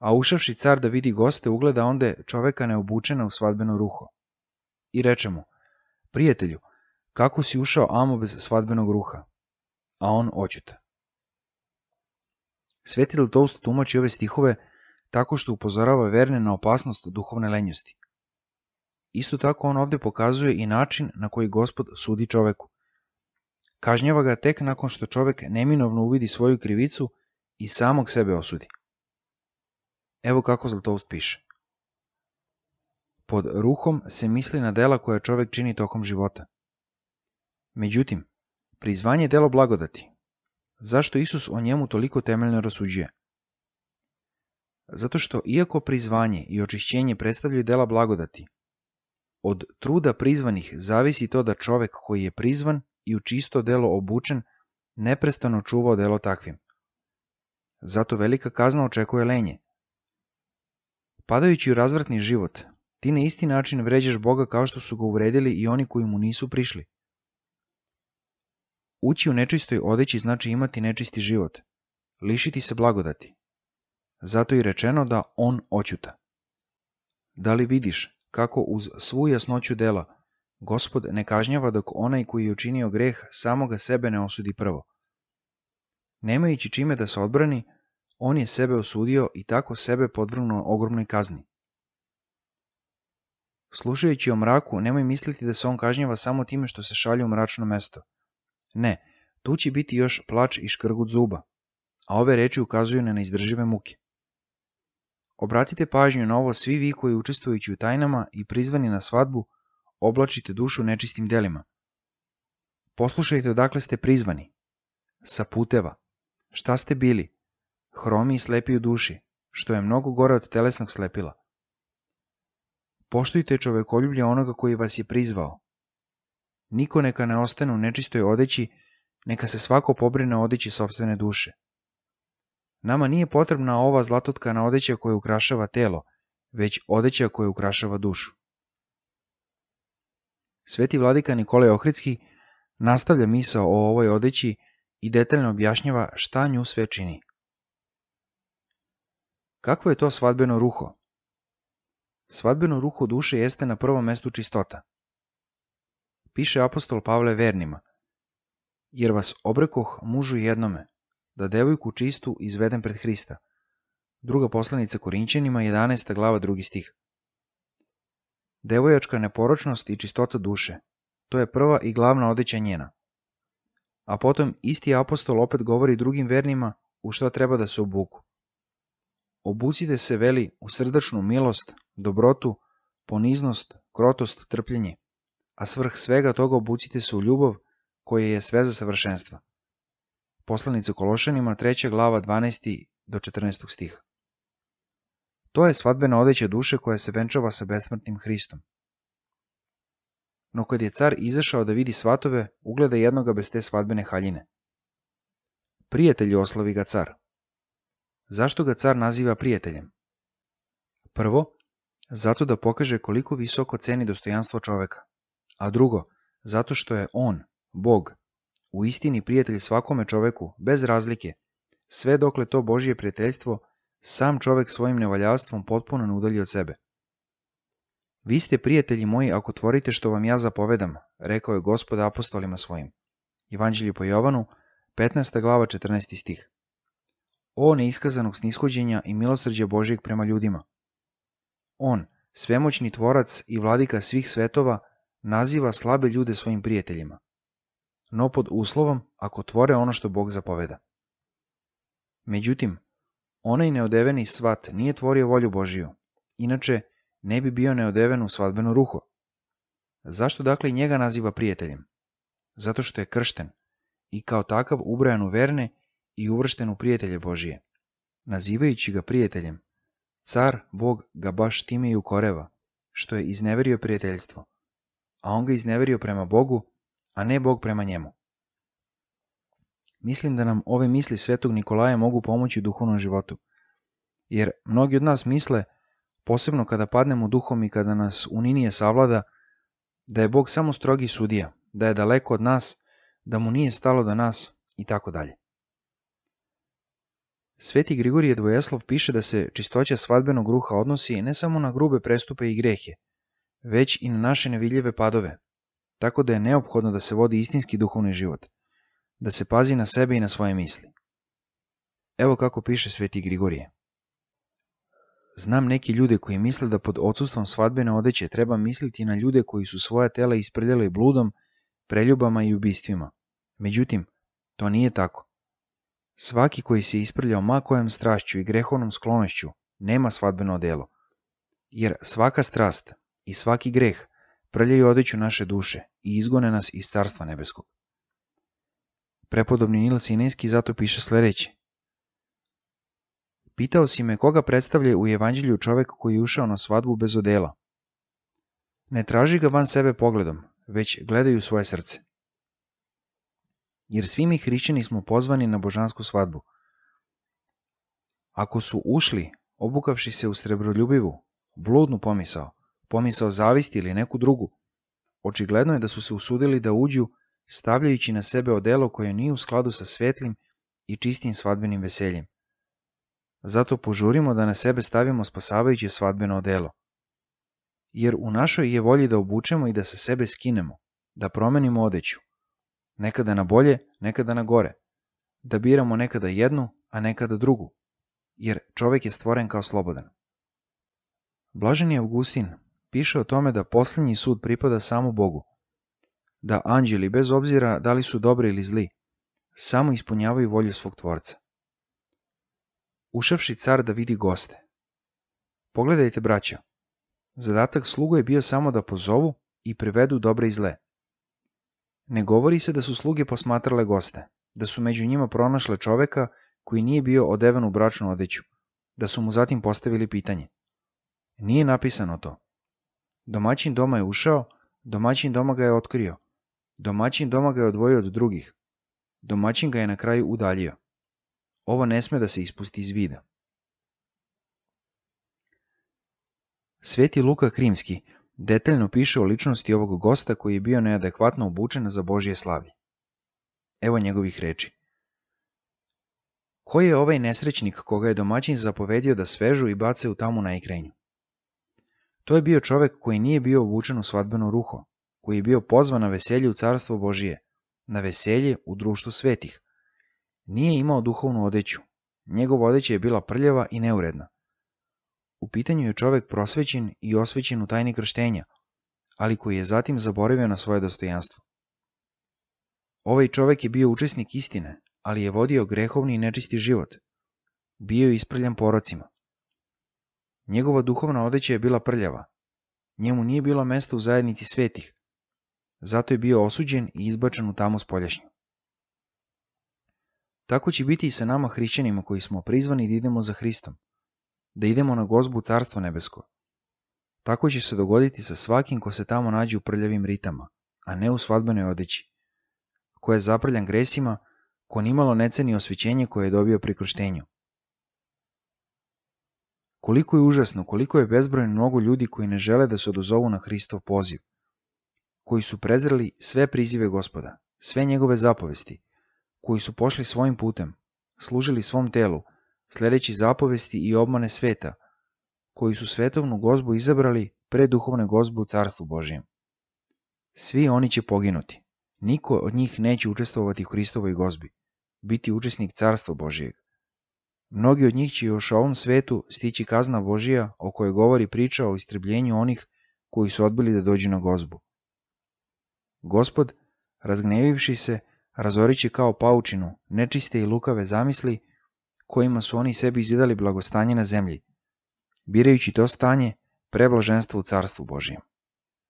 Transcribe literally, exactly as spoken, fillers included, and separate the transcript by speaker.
Speaker 1: A ušavši car da vidi goste, ugleda onde čoveka neobučena u svadbeno ruho. I reče mu, prijatelju, kako si ušao amo bez svadbenog ruha? A on oćuta. Sveti Zlatoust tumači ove stihove tako što upozorava verne na opasnost duhovne lenjosti. Isto tako on ovdje pokazuje i način na koji Gospod sudi čoveku. Kažnjava ga tek nakon što čovek neminovno uvidi svoju krivicu i samog sebe osudi. Evo kako Zlatoust piše. Pod ruhom se misli na dela koja čovek čini tokom života. Međutim, prizvanje je delo blagodati. Zašto Isus o njemu toliko temeljno rasuđuje? Zato što iako prizvanje i očišćenje predstavljaju dela blagodati, od truda prizvanih zavisi to da čovek koji je prizvan i u čisto delo obučen neprestano čuva delo takvim. Zato velika kazna očekuje lenje. Padajući u razvratni život, ti na isti način vređaš Boga kao što su ga uvredili i oni koji mu nisu prišli. Ući u nečistoj odeći znači imati nečisti život, lišiti se blagodati. Zato je rečeno da on oćuta. Da li vidiš kako uz svu jasnoću dela Gospod ne kažnjava dok onaj koji je učinio greh samoga sebe ne osudi prvo? Nemajući čime da se odbrani, on je sebe osudio i tako sebe podvrgnuo ogromnoj kazni. Slušajući o mraku, nemoj misliti da se on kažnjava samo time što se šalje u mračno mesto. Ne, tu će biti još plač i škrgut zuba, a ove reči ukazuju na neizdržive muke. Obratite pažnju na ovo svi vi koji učestvujući u tajnama i prizvani na svadbu oblačite dušu nečistim delima. Poslušajte odakle ste prizvani. Sa puteva. Šta ste bili? Hromi i slepi u duši, što je mnogo gore od telesnog slepila. Poštujte čovekoljublje onoga koji vas je prizvao. Niko neka ne ostane u nečistoj odeći, neka se svako pobrine o odeći sopstvene duše. Nama nije potrebna ova zlatotkana odeća koja ukrašava telo, već odeća koja ukrašava dušu. Sveti vladika Nikolaj Ohridski nastavlja misao o ovoj odeći i detaljno objašnjava šta nju sve čini. Kakvo je to svadbeno ruho? Svadbeno ruho duše jeste na prvom mestu čistota. Piše apostol Pavle vernima, jer vas obrekoh mužu jednome, da devojku čistu izvedem pred Hrista. Druga poslanica Korinćanima, jedanaesta glava, drugi stih. Devojačka neporočnost i čistota duše, to je prva i glavna odeća njena. A potom isti apostol opet govori drugim vernima u šta treba da se obuku. Obucite se, veli, u srdačnu milost, dobrotu, poniznost, krotost, trpljenje, a svrh svega toga obucite se u ljubav koja je sveza savršenstva. Poslanica Kološanima, treća glava, dvanaesti do četrnaesti stih. To je svadbena odeća duše koja se venčava sa besmrtnim Hristom. No kad je car izašao da vidi svatove, ugleda jednoga bez te svadbene haljine. Prijatelju, oslavi ga car. Zašto ga car naziva prijateljem? Prvo, zato da pokaže koliko visoko ceni dostojanstvo čoveka, a drugo, zato što je on, Bog, u istini prijatelj svakome čoveku, bez razlike, sve dokle to Božje prijateljstvo sam čovek svojim nevaljavstvom potpuno ne udalji od sebe. Vi ste prijatelji moji ako tvorite što vam ja zapovedam, rekao je Gospod apostolima svojim. Evanđelje po Jovanu, petnaesta glava, četrnaesti stih. O neiskazanog snishođenja i milosrđa Božjeg prema ljudima. On, svemoćni tvorac i vladika svih svetova, naziva slabe ljude svojim prijateljima, no pod uslovom ako tvore ono što Bog zapoveda. Međutim, onaj neodeveni svat nije tvorio volju Božiju, inače ne bi bio neodeven u svadbeno ruho. Zašto dakle njega naziva prijateljem? Zato što je kršten i kao takav ubrajan u verne i uvršten u prijatelje Božije. Nazivajući ga prijateljem, car Bog ga baš time i ukoreva, što je izneverio prijateljstvo, a on ga izneverio prema Bogu, a ne Bog prema njemu. Mislim da nam ove misli svetog Nikolaja mogu pomoći u duhovnom životu, jer mnogi od nas misle, posebno kada padnemo duhom i kada nas uninije savlada, da je Bog samo strogi sudija, da je daleko od nas, da mu nije stalo do nas i tako dalje. Sveti Grigorije Dvojeslov piše da se čistoća svadbenog ruha odnosi ne samo na grube prestupe i grehe, već i na naše nevidljive padove, tako da je neophodno da se vodi istinski duhovni život, da se pazi na sebe i na svoje misli. Evo kako piše Sveti Grigorije. Znam neki ljude koji misle da pod odsustvom svadbene odeće treba misliti na ljude koji su svoja tela isprljali bludom, preljubama i ubistvima. Međutim, to nije tako. Svaki koji se isprljao ma kojom strašću i grehovnom sklonošću nema svadbeno odelo, jer svaka strast i svaki greh prljaju odeću naše duše i izgone nas iz Carstva nebeskog. Prepodobni Nil Sinejski zato piše sljedeće. Pitao si me koga predstavlja u evanđelju čovek koji je ušao na svadbu bez odela. Ne traži ga van sebe pogledom, već gledaju svoje srce. Jer svi mi hrišćani smo pozvani na božansku svadbu. Ako su ušli, obukavši se u srebroljubivu, bludnu pomisao, pomisao zavisti ili neku drugu, očigledno je da su se usudili da uđu stavljajući na sebe odelo koje nije u skladu sa svetlim i čistim svadbenim veseljem. Zato požurimo da na sebe stavimo spasavajuće svadbeno odelo. Jer u našoj je volji da obučemo i da sa sebe skinemo, da promenimo odeću, nekada na bolje, nekada na gore, da biramo nekada jednu, a nekada drugu, jer čovjek je stvoren kao slobodan. Blaženi Augustin piše o tome da posljednji sud pripada samo Bogu, da anđeli, bez obzira da li su dobri ili zli, samo ispunjavaju volju svog tvorca. Ušavši car da vidi goste. Pogledajte, braćo, zadatak slugu je bio samo da pozovu i privedu dobre i zle. Ne govori se da su sluge posmatrale goste, da su među njima pronašle čoveka koji nije bio odeven u bračnu odeću, da su mu zatim postavili pitanje. Nije napisano to. Domaćin doma je ušao, domaćin doma ga je otkrio, domaćin doma ga je odvojio od drugih, domaćin ga je na kraju udaljio. Ovo ne sme da se ispusti iz vida. Sveti Luka Krimski detaljno piše o ličnosti ovog gosta koji je bio neadekvatno obučen za Božje slavlje. Evo njegovih reči. Ko je ovaj nesrećnik koga je domaćin zapovedio da svežu i bace u tamu na ikrenju? To je bio čovek koji nije bio obučen u svadbeno ruho, koji je bio pozvan na veselje u Carstvo Božije, na veselje u društvu svetih. Nije imao duhovnu odeću, njegova odeća je bila prljava i neuredna. U pitanju je čovek prosvećen i osvećen u tajni krštenja, ali koji je zatim zaboravio na svoje dostojanstvo. Ovaj čovek je bio učesnik istine, ali je vodio grehovni i nečisti život. Bio je isprljan porocima. Njegova duhovna odeća je bila prljava. Njemu nije bilo mesta u zajednici svetih. Zato je bio osuđen i izbačen u tamu spoljašnju. Tako će biti i sa nama hrišćanima koji smo prizvani da idemo za Hristom, da idemo na gozbu Carstvo nebesko. Tako će se dogoditi sa svakim ko se tamo nađe u prljavim ritama, a ne u svadbenoj odeći, ko je zaprljan gresima, ko nimalo ne ceni osvećenje koje je dobio pri krštenju. Koliko je užasno, koliko je bezbrojno mnogo ljudi koji ne žele da se odazovu na Hristov poziv, koji su prezreli sve prizive Gospoda, sve njegove zapovesti, koji su pošli svojim putem, služili svom telu, sledeći zapovesti i obmane sveta, koji su svetovnu gozbu izabrali pre duhovne gozbe u Carstvu Božijem. Svi oni će poginuti. Niko od njih neće učestvovati u Hristovoj gozbi, biti učesnik Carstva Božijeg. Mnogi od njih će još u ovom svetu stići kazna Božija o kojoj govori priča o istrebljenju onih koji su odbili da dođu na gozbu. Gospod, razgnevivši se, razoriće kao paučinu nečiste i lukave zamisli kojima su oni sebi izidali blagostanje na zemlji, birajući to stanje preblaženstvo u Carstvu Božijem.